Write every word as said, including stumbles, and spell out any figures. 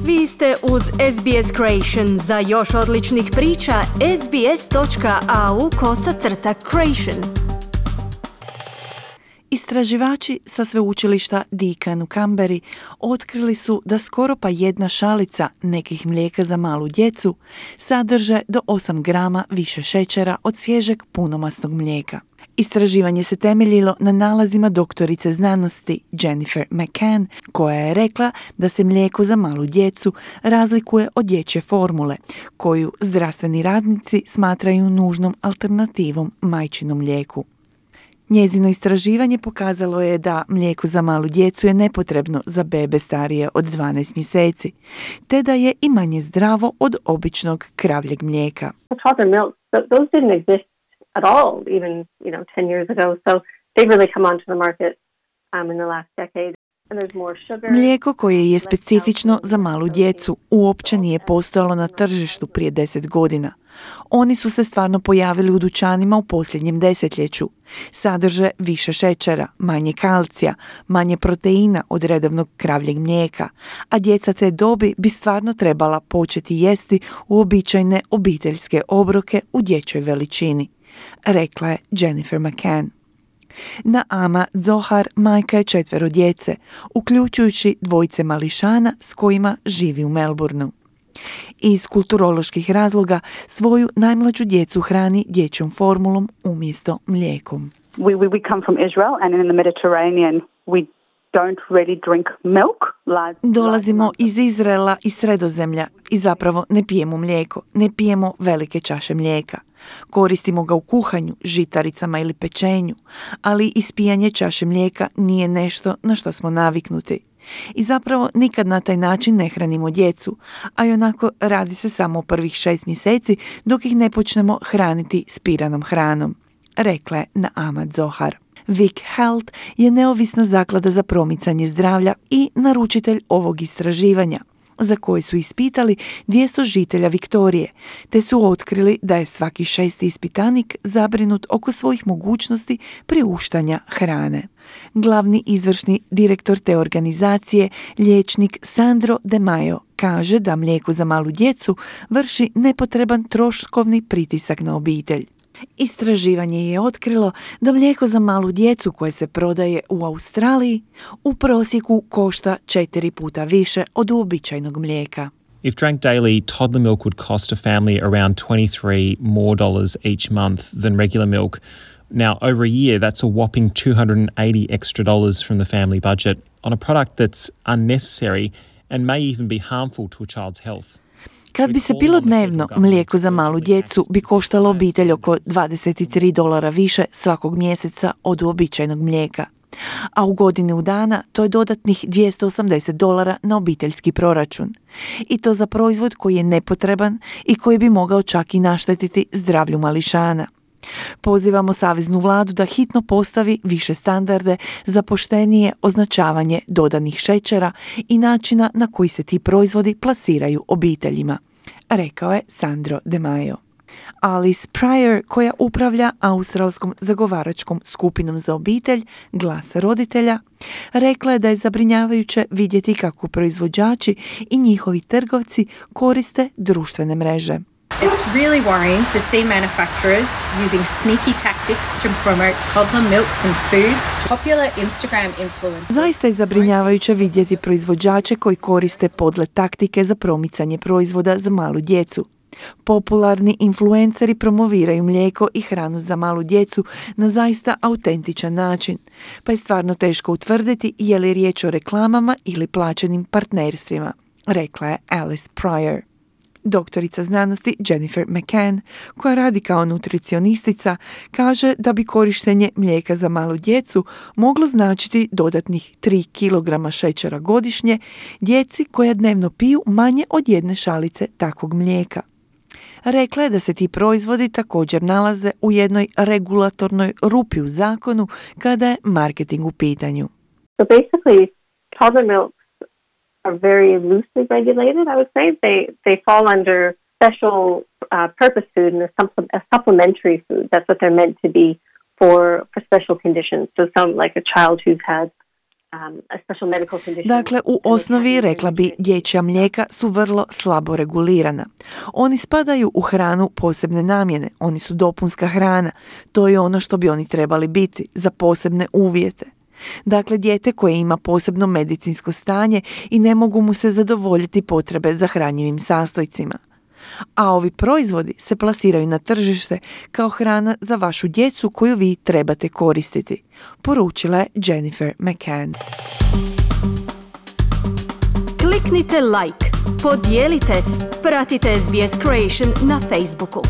Vi ste uz S B S Creation. Za još odličnih priča, sbs.au kosacrta creation. Istraživači sa sveučilišta Deakin u Canberri otkrili su da skoro pa jedna šalica nekih mlijeka za malu djecu sadrže do osam grama više šećera od svježeg punomastnog mlijeka. Istraživanje se temeljilo na nalazima doktorice znanosti Jennifer McCann, koja je rekla da se mlijeko za malu djecu razlikuje od dječje formule, koju zdravstveni radnici smatraju nužnom alternativom majčinom mlijeku. Njezino istraživanje pokazalo je da mlijeko za malu djecu je nepotrebno za bebe starije od dvanaest mjeseci, te da je i manje zdravo od običnog kravljeg mlijeka. At all, even, you know, ten years ago. So they've really come onto the market um, in the last decade. Mlijeko koje je specifično za malu djecu uopće nije postojalo na tržištu prije deset godina. Oni su se stvarno pojavili u dućanima u posljednjem desetljeću. Sadrže više šećera, manje kalcija, manje proteina od redovnog kravljeg mlijeka, a djeca te dobi bi stvarno trebala početi jesti uobičajene obiteljske obroke u dječjoj veličini, rekla je Jennifer McCann. Naama Zohar majka je četvero djece, uključujući dvojice mališana s kojima živi u Melbourneu. Iz kulturoloških razloga svoju najmlađu djecu hrani dječjom formulom umjesto mlijekom. We, we, we come from Israel and in the Mediterranean we don't really drink milk. Like, Dolazimo iz Izraela i Sredozemlja i zapravo ne pijemo mlijeko, ne pijemo velike čaše mlijeka. Koristimo ga u kuhanju, žitaricama ili pečenju, ali ispijanje čaše mlijeka nije nešto na što smo naviknuti. I zapravo nikad na taj način ne hranimo djecu, a i onako radi se samo o prvih šest mjeseci dok ih ne počnemo hraniti spiranom hranom, rekla je Naama Zohar. Vic Health je neovisna zaklada za promicanje zdravlja i naručitelj ovog istraživanja, za koje su ispitali dvjesto žitelja Viktorije, te su otkrili da je svaki šesti ispitanik zabrinut oko svojih mogućnosti priuštanja hrane. Glavni izvršni direktor te organizacije, liječnik Sandro De Maio, kaže da mlijeko za malu djecu vrši nepotreban troškovni pritisak na obitelj. Istraživanje je otkrilo da mlijeko za malu djecu koje se prodaje u Australiji u prosjeku košta četiri puta više od uobičajenog mlijeka. If drank daily, toddler milk would cost a family around twenty-three more dollars each month than regular milk. Now, over a year, that's a whopping two hundred eighty extra dollars from the family budget on a product that's unnecessary and may even be harmful to a child's health. Kad bi se pilo dnevno, mlijeko za malu djecu bi koštalo obitelj oko dvadeset tri dolara više svakog mjeseca od uobičajenog mlijeka. A u godinu dana to je dodatnih dvjesto osamdeset dolara na obiteljski proračun. I to za proizvod koji je nepotreban i koji bi mogao čak i naštetiti zdravlju mališana. Pozivamo saveznu vladu da hitno postavi više standarde za poštenije označavanje dodanih šećera i načina na koji se ti proizvodi plasiraju obiteljima, rekao je Sandro De Maio. Alice Pryor, koja upravlja australskom zagovaračkom skupinom za obitelj, Glas roditelja, rekla je da je zabrinjavajuće vidjeti kako proizvođači i njihovi trgovci koriste društvene mreže. It's really worrying to see manufacturers using sneaky tactics to promote toddler milks and foods to popular Instagram influencers. Zaista je zabrinjavajuće vidjeti proizvođače koji koriste podle taktike za promicanje proizvoda za malu djecu. Popularni influenceri promoviraju mlijeko i hranu za malu djecu na zaista autentičan način, pa je stvarno teško utvrditi je li riječ o reklamama ili plaćenim partnerstvima, rekla je Alice Pryor. Doktorica znanosti Jennifer McCann, koja radi kao nutricionistica, kaže da bi korištenje mlijeka za malu djecu moglo značiti dodatnih tri kilograma šećera godišnje djeci koja dnevno piju manje od jedne šalice takvog mlijeka. Rekla je da se ti proizvodi također nalaze u jednoj regulatornoj rupi u zakonu kada je marketing u pitanju. So basically, toddler milk are very loosely regulated, I would say. They they fall under special uh, purpose food and a, supple- a supplementary food. That's what they're meant to be for, for special conditions. So some like a child who's had um, a special medical condition. Dakle, u osnovi rekla bi dječja mlijeka su vrlo slabo regulirana. Oni spadaju u hranu posebne namjene, oni su dopunska hrana. To je ono što bi oni trebali biti za posebne uvjete. Dakle, dijete koje ima posebno medicinsko stanje i ne mogu mu se zadovoljiti potrebe za hranjivim sastojcima. A ovi proizvodi se plasiraju na tržište kao hrana za vašu djecu koju vi trebate koristiti, poručila je Jennifer McCann. Kliknite like, podijelite, pratite S B S Creation na Facebooku.